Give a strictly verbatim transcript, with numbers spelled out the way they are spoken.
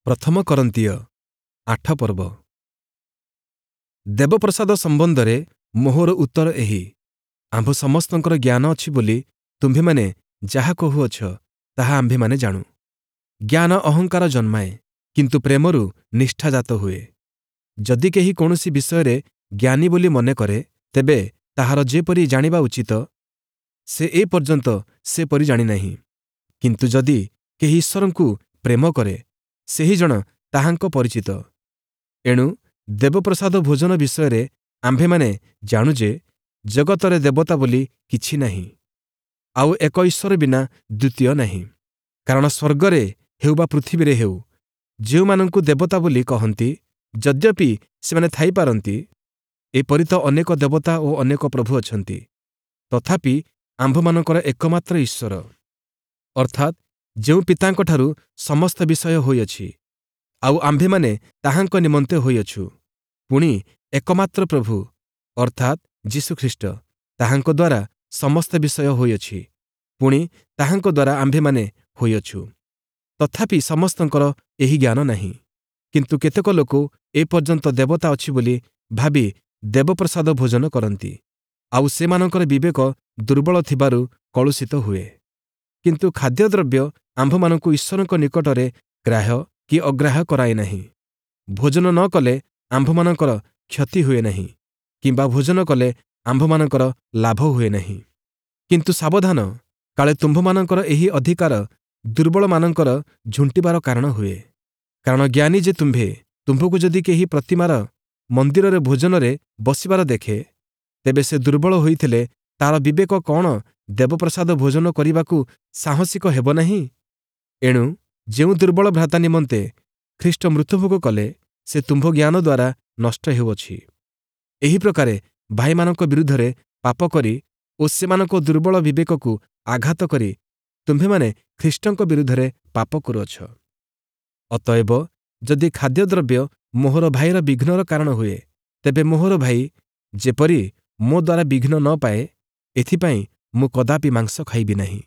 ପ୍ରଥମ କରିନ୍ଥୀୟ ଆଠ ପର୍ବ ଦେବପ୍ରସାଦ ସମ୍ବନ୍ଧରେ ମୋହର ଉତ୍ତର ଏହି ଆମ୍ଭ ସମସ୍ତଙ୍କର ଜ୍ଞାନ ଅଛି ବୋଲି ତୁମ୍ଭେମାନେ ଯାହା କହୁଅଛ ତାହା ଆମ୍ଭେମାନେ ଜାଣୁ ଜ୍ଞାନ ଅହଙ୍କାର ଜନ୍ମାଏ କିନ୍ତୁ ପ୍ରେମରୁ ନିଷ୍ଠାଜାତ ହୁଏ ଯଦି କେହି କୌଣସି ବିଷୟରେ ଜ୍ଞାନୀ ବୋଲି ମନେ କରେ ତେବେ ତାହାର ଯେପରି ଜାଣିବା ଉଚିତ ସେ ଏ ପର୍ଯ୍ୟନ୍ତ ସେପରି ଜାଣିନାହିଁ କିନ୍ତୁ ଯଦି କେହି ଈଶ୍ୱରଙ୍କୁ ପ୍ରେମ କରେ ସେହି ଜଣ ତାହାଙ୍କ ପରିଚିତ ଏଣୁ ଦେବପ୍ରସାଦ ଭୋଜନ ବିଷୟରେ ଆମ୍ଭେମାନେ ଜାଣୁ ଯେ ଜଗତରେ ଦେବତା ବୋଲି କିଛି ନାହିଁ ଆଉ ଏକ ଈଶ୍ୱର ବିନା ଦ୍ୱିତୀୟ ନାହିଁ କାରଣ ସ୍ୱର୍ଗରେ ହେଉ ବା ପୃଥିବୀରେ ହେଉ ଯେଉଁମାନଙ୍କୁ ଦେବତା ବୋଲି କହନ୍ତି ଯଦ୍ୟପି ସେମାନେ ଥାଇପାରନ୍ତି ଏପରି ତ ଅନେକ ଦେବତା ଓ ଅନେକ ପ୍ରଭୁ ଅଛନ୍ତି ତଥାପି ଆମ୍ଭମାନଙ୍କର ଏକମାତ୍ର ଈଶ୍ୱର ଅର୍ଥାତ୍ ଯେଉଁ ପିତାଙ୍କଠାରୁ ସମସ୍ତ ବିଷୟ ହୋଇଅଛି ଆଉ ଆମ୍ଭେମାନେ ତାହାଙ୍କ ନିମନ୍ତେ ହୋଇଅଛୁ ପୁଣି ଏକମାତ୍ର ପ୍ରଭୁ ଅର୍ଥାତ୍ ଯୀଶୁଖ୍ରୀଷ୍ଟ ତାହାଙ୍କ ଦ୍ୱାରା ସମସ୍ତ ବିଷୟ ହୋଇଅଛି ପୁଣି ତାହାଙ୍କ ଦ୍ୱାରା ଆମ୍ଭେମାନେ ହୋଇଅଛୁ ତଥାପି ସମସ୍ତଙ୍କର ଏହି ଜ୍ଞାନ ନାହିଁ କିନ୍ତୁ କେତେକ ଲୋକ ଏପର୍ଯ୍ୟନ୍ତ ଦେବତା ଅଛି ବୋଲି ଭାବି ଦେବପ୍ରସାଦ ଭୋଜନ କରନ୍ତି ଆଉ ସେମାନଙ୍କର ବିବେକ ଦୁର୍ବଳ ଥିବାରୁ କଳୁଷିତ ହୁଏ କିନ୍ତୁ ଖାଦ୍ୟଦ୍ରବ୍ୟ ଆମ୍ଭମାନଙ୍କୁ ଈଶ୍ୱରଙ୍କ ନିକଟରେ ଗ୍ରାହ୍ୟ କି ଅଗ୍ରାହ୍ୟ କରାଏ ନାହିଁ ଭୋଜନ ନ କଲେ ଆମ୍ଭମାନଙ୍କର କ୍ଷତି ହୁଏ ନାହିଁ କିମ୍ବା ଭୋଜନ କଲେ ଆମ୍ଭମାନଙ୍କର ଲାଭ ହୁଏ ନାହିଁ କିନ୍ତୁ ସାବଧାନ କାଳେ ତୁମ୍ଭମାନଙ୍କର ଏହି ଅଧିକାର ଦୁର୍ବଳମାନଙ୍କର ଝୁଣ୍ଟିବାର କାରଣ ହୁଏ କାରଣ ଜ୍ଞାନୀ ଯେ ତୁମ୍ଭେ ତୁମ୍ଭକୁ ଯଦି କେହି ପ୍ରତିମାର ମନ୍ଦିରରେ ଭୋଜନରେ ବସିବାର ଦେଖେ ତେବେ ସେ ଦୁର୍ବଳ ହୋଇଥିଲେ ତାର ବିବେକ କ'ଣ ଦେବପ୍ରସାଦ ଭୋଜନ କରିବାକୁ ସାହସିକ ହେବ ନାହିଁ ଏଣୁ ଯେଉଁ ଦୁର୍ବଳ ଭ୍ରାତା ନିମନ୍ତେ ଖ୍ରୀଷ୍ଟ ମୃତ୍ୟୁଭୋଗ କଲେ ସେ ତୁମ୍ଭ ଜ୍ଞାନ ଦ୍ୱାରା ନଷ୍ଟ ହେଉଅଛି ଏହି ପ୍ରକାରେ ଭାଇମାନଙ୍କ ବିରୁଦ୍ଧରେ ପାପ କରି ଓ ସେମାନଙ୍କ ଦୁର୍ବଳ ବିବେକକୁ ଆଘାତ କରି ତୁମ୍ଭେମାନେ ଖ୍ରୀଷ୍ଟଙ୍କ ବିରୁଦ୍ଧରେ ପାପ କରୁଅଛ ଅତଏବ ଯଦି ଖାଦ୍ୟଦ୍ରବ୍ୟ ମୋହର ଭାଇର ବିଘ୍ନର କାରଣ ହୁଏ ତେବେ ମୋହର ଭାଇ ଯେପରି ମୋ ଦ୍ୱାରା ବିଘ୍ନ ନ ପାଏ ଏଥିପାଇଁ ମୁଁ କଦାପି ମାଂସ ଖାଇବି ନାହିଁ।